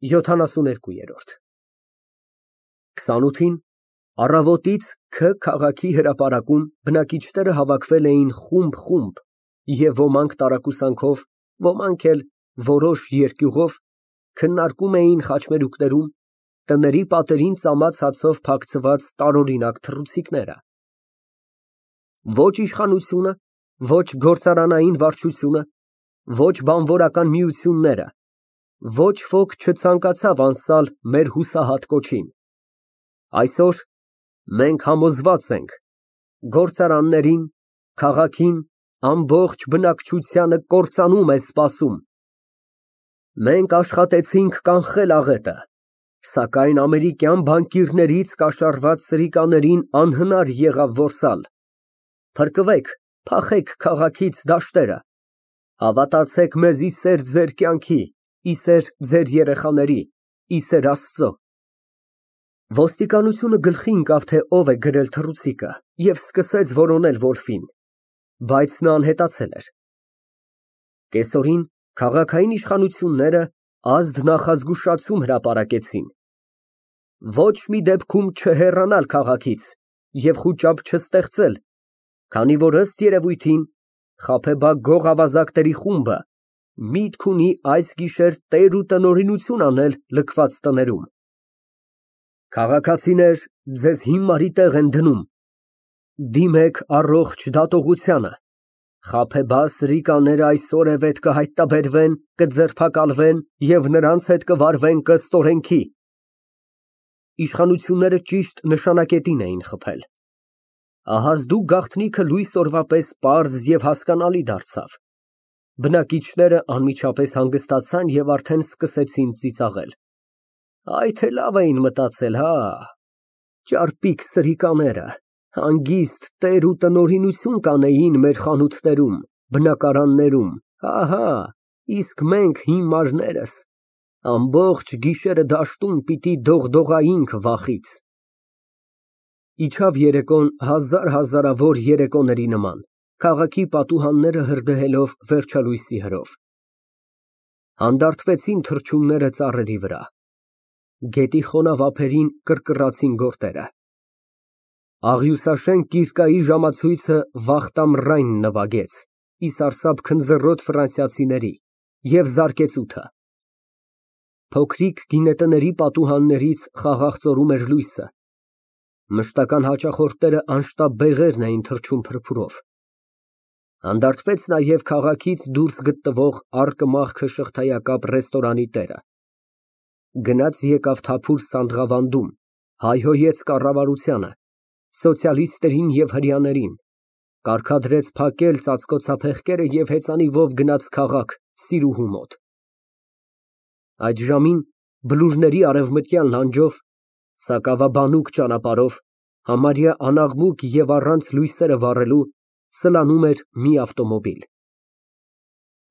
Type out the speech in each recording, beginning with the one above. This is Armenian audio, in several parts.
72։ 28-ին առավոտից Քը քաղաքի հրապարակում բնակիչները հավաքվել էին խումբ և ոմանք տարակուսանքով, ոմանք էլ որոշ երկյուղով քննարկում էին խաչմերուկներում տների պատերին ծամած հացով փակցված տարօրինակ թռուցիկները։ Ոչ իշխանությունը, ոչ գործարանային վարչությունը, ոչ բանվորական միությունները, ոչ ոք չցանկացավ անսալ մեր հուսահատ կոչին։ Այսօր մենք համոզված ենք, գործարաններին, քաղաքին, ամբողջ բնակչությանը կործանում է սպասում։ Մենք աշխատեցինք կանխել աղետը, սակայն ամերիկյան բանկիրներից կաշառված սրիկաներին անհնար եղավ որսալ։ Փրկվեք, փախեք քաղաքից դաշտերը, հավատացեք մեզ ի սեր ձեր կյանքի, ի սեր ձեր երեխաների, ի սեր Աստծո։ Ոստիկանությունը գլխի ընկավ, թե ով է գրել թռուցիկը և սկսեց որոնել որֆին, բայց նա անհետացել էր։ Կեսօրին քաղաքային իշխանությունները ազդ նախազգուշացում հրապարակեցին. ոչ մի դեպքում չհեռանալ քաղաքից և խուճապ չստեղծել, քանի որ ըստ երևույթին խաբեբա գողավազակների խումբը միտք ունի այս գիշեր տեր ու տնօրինություն անել լքված տներում։ Քաղաքացիներ, ձեզ հիմարի տեղ են դնում, դիմեք առողջ դատողությանը, խաբեբա սրիկաները այսօրևետ կհայտնաբերվեն, կձերբակալվեն և նրանց հետ կվարվեն ըստ օրենքի։ Իշխանությունները ճիշտ նշանակետին էին խփել։ Ահազդու գաղտնիքը լույս օրվա պես պարզ և հասկանալի դարձավ։ Բնակիչները անմիջապես հանգստացան և արդեն սկսեցին ծիծաղել։ Այ թե լավ էին մտածել, հա, ճարպիկ սրիկաները, հանգիստ տեր ու տնօրինություն կանեին մեր խանութներում, բնակարաններում, ահա, իսկ մենք հիմարներս ամբողջ գիշերը դաշտում պիտի դողդողայինք վախից։ Իջավ երեկոն հազարավոր երեկոների նման, քաղաքի պատուհանները հրդեհելով վերջալույսի հրով։ Հանդարտվեցին թռչունները ծառերի վրա։ Գետի խոնավ ափերին կռկռացին գորտերը։ Աղյուսաշեն կիրկայի ժամացույցը վաղ ամռայն նվագեց, ի սարսափ քնձռոտ ֆրանսիացիների, և զարկեց ութը։ Փոքրիկ գինետների պատուհաններից խաղաղ էր լույսը։ Մշտական հաճախորդները անշտապ բեղերն էին թռչում փրփուրով։ Հանդարտվեց նաև քաղաքից դուրս գտնվող առկմախքը շղթայակապ ռեստորանի տերը։ Գնաց եկավ թափուր Սանդղավանդում, հայհոյեց կառավարությանը, սոցիալիստներին և հրեաներին, կարգադրեց փակել ծածկոցափեղկերը և հեծանիվով գնաց քաղաք սիրուհու մոտ։ Այդ ժամին բլուրների արևմտյան լանջով, սակավաբանուկ ճանապարհով, համարյա անաղմուկ և առանց լույսերը վառելու, սլանում էր մի ավտոմոբիլ։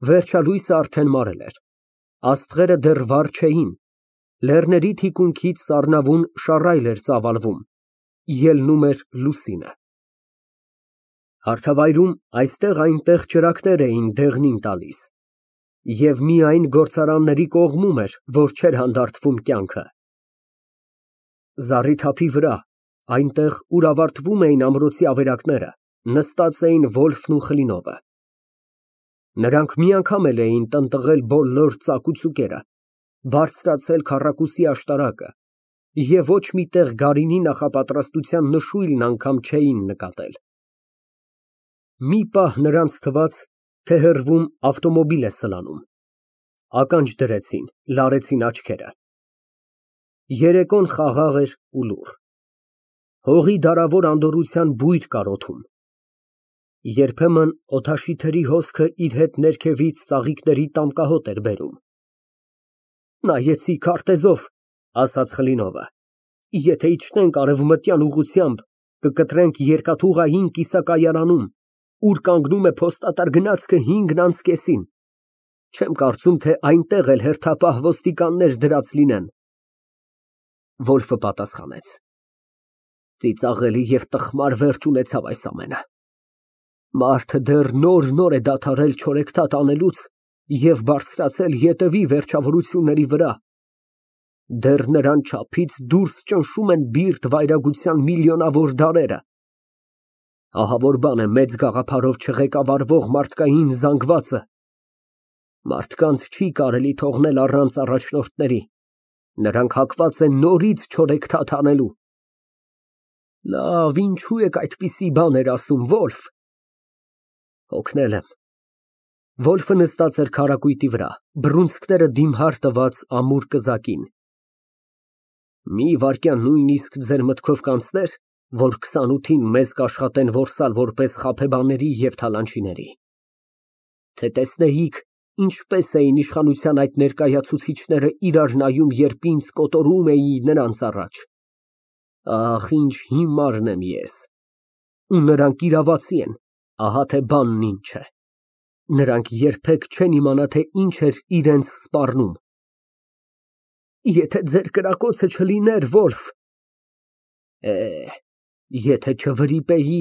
Վերջալույսը արդեն մարել էր, աստղերը դեռ վառ չէին, լեռների թիկունքից սառնավուն շառայլ էր ծավալվում, ելնում էր լուսինը։ Հարթավայրում այստեղ֊այնտեղ ճրագներ էին դեղնին տալիս, և միայն գործարանների կողմում էր, որ չէր հանդարտվում կյանքը։ Զառիթափի վրա, այնտեղ, ուր ավարտվում էին ամրոցի ավերակները, նստած էին Վոլֆն ու Խլինովը։ Նրանք մի անգամ էլ էին տնտղել բոլոր ծակուծուկերը, բարձրացել քառակուսի աշտարակը և ոչ մի տեղ գարինի նախապատրաստության նշույլն անգամ չէին նկատել։ Մի պահ նրանց թվաց, թե հեռվում ավտոմոբիլ է սլանում։ Ականջ դրեցին, լարեցին աչքերը։ Երեկոն խաղաղ էր ու լուռ։ Հողի դարավոր անդորրության բույր կար օդում։ Երբեմն օդաշիթերի հոսքը իր հետ ներքևից ծաղիկների տամկահոտ էր բերում։ Նայեցի քարտեզով, ասաց Խլինովը, եթե իջնենք արևմտյան ուղղությամբ, կկտրենք երկաթուղային կիսակայարանում, ուր կանգնում է փոստատար գնացքը 5:30։ Չեմ կարծում, թե այնտեղ էլ հերթապահ ոստիկաններ դրած լինեն։ Վոլֆը պատասխանեց. Ծիծաղելի և տխմար վերջ ունեցավ այս ամենը։ Մարդը դեռ նոր է դադարել չորեքթաթ անելուց և բարձրացել ետևի վերջավորությունների վրա։ Դեռ նրան չափից դուրս ճնշում են բիրտ վայրագության միլիոնավոր դարերը։ Ահավոր բան է մեծ գաղափարով չղեկավարվող մարդկային զանգվածը։ Մարդկանց չի կարելի թողնել առանց առաջնորդների, նրանք հակված են նորից չորեքթաթ անելու։ Լավ, ինչու եք այդպիսի բաներ ասում, Վոլֆ։ Հոգնել եմ։ Վոլֆը նստած էր քառակույտի վրա, բռունցքները դիմհար տված ամուր կզակին։ Մի վայրկյան նույնիսկ ձեր մտքով կանցնե՞ր, որ 28-ին մեզ կաշխատեն որսալ որպես խաբեբաների և թալանչիների։ Թե տեսնեիք, ինչպես էին իշխանության այդ ներկայացուցիչները իրար նայում, երբ ինձ կոտորում էի նրանց առաջ։ Ախ, ինչ հիմարն եմ ես։ Ու նրանք իրավացի են, ահա թե բանն ինչ է։ Նրանք երբեք չեն իմանա, թե ինչ էր իրենց սպառնում։ Եթե ձեր կրակոցը չլիներ, Վոլֆ։ Եթե չվրիպեի,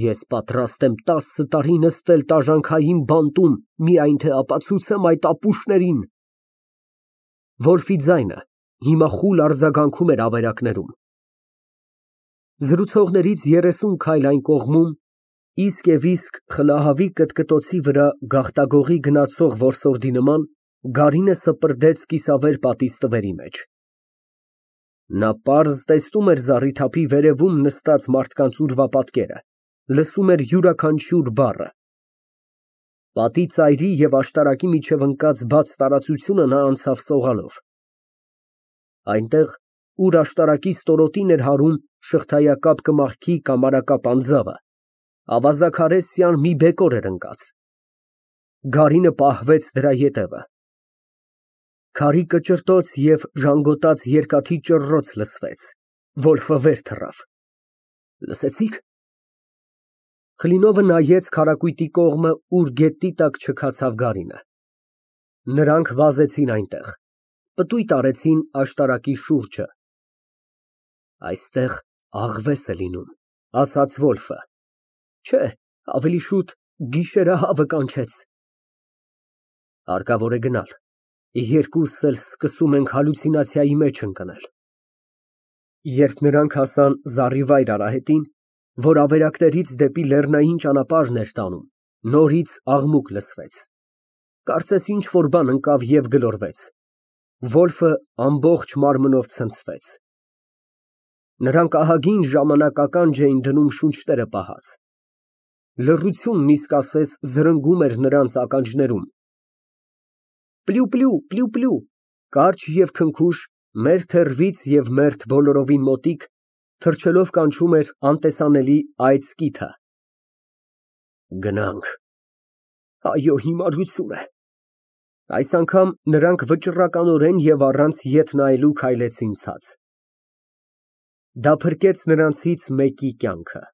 ես պատրաստ եմ 10 տարի նստել տաժանքային բանտում, միայն թե ապացուցեմ այդ ապուշներին։ Վոլֆի ձայնը հիմա խուլ արձագանքում էր ավերակներում։ Զրուցողներից 30 քայլ այն կողմում, իսկ և իսկ խլահավի կտկտոցի վրա գաղտագողի գնացող որսորդի նման, գարինը սպրդեց կիսավեր պատի ստվերի մեջ։ Նա պարզ տեսնում էր զառիթափի վերևում նստած մարդկանց ուրվապատկերը, լսում էր յուրաքանչյուր բառը։ Պատի ծայրի և աշտարակի միջև ընկած բաց տարածությունը նա անցավ սողալով։ Այնտեղ, ուր աշտարակի ստորոտին էր հարում շղթայակապ կմախքի կամարակապ անձավը, ավազաքարեսյան մի բեկոր էր ընկած։ Գարինը պահվեց դրա ետևը։ Քարի կճռտոց և ժանգոտած երկաթի ճռռոց լսվեց։ Վոլֆը վեր թռավ։ Լսեցի՞ք։ Խլինովը նայեց քառակույտի կողմը, ուր գետնի տակ չքացավ գարինը։ Նրանք վազեցին այնտեղ, պտույտ արեցին աշտարակի շուրջը։ Այստեղ աղվես է լինում, ասաց Վոլֆը։ Չէ, ավելի շուտ գիշերահավը կանչեց։ Հարկավոր է գնալ։ Երկուսս էլ սկսում ենք հալյուցինացիայի մեջ ընկնել։ Երբ նրանք հասան զառիվայր արահետին, որ ավերակներից դեպի լեռնային ճանապարհն էր տանում, նորից աղմուկ լսվեց։ Կարծես ինչ֊որ բան ընկավ և գլորվեց։ Վոլֆը ամբողջ մարմնով ցնցվեց։ Նրանք ահագին ժամանակական էին դնում շունչները պահած։ Լռությունն իսկ ասես զրնգում էր նրանց ականջներում։ Պլյու, պլյու, պլյու, կարճ և քնքուշ, մերթ հեռվից և մերթ բոլորովին մոտիկ, թռչելով կանչում էր անտեսանելի այծ կիթը։ Գնանք։ Այո, հիմարություն է։ Այս անգամ նրանք վճռականորեն և առանց ետ նայելու քայլեցին ցած։ Դա փրկեց նրանցից մեկի կյանքը։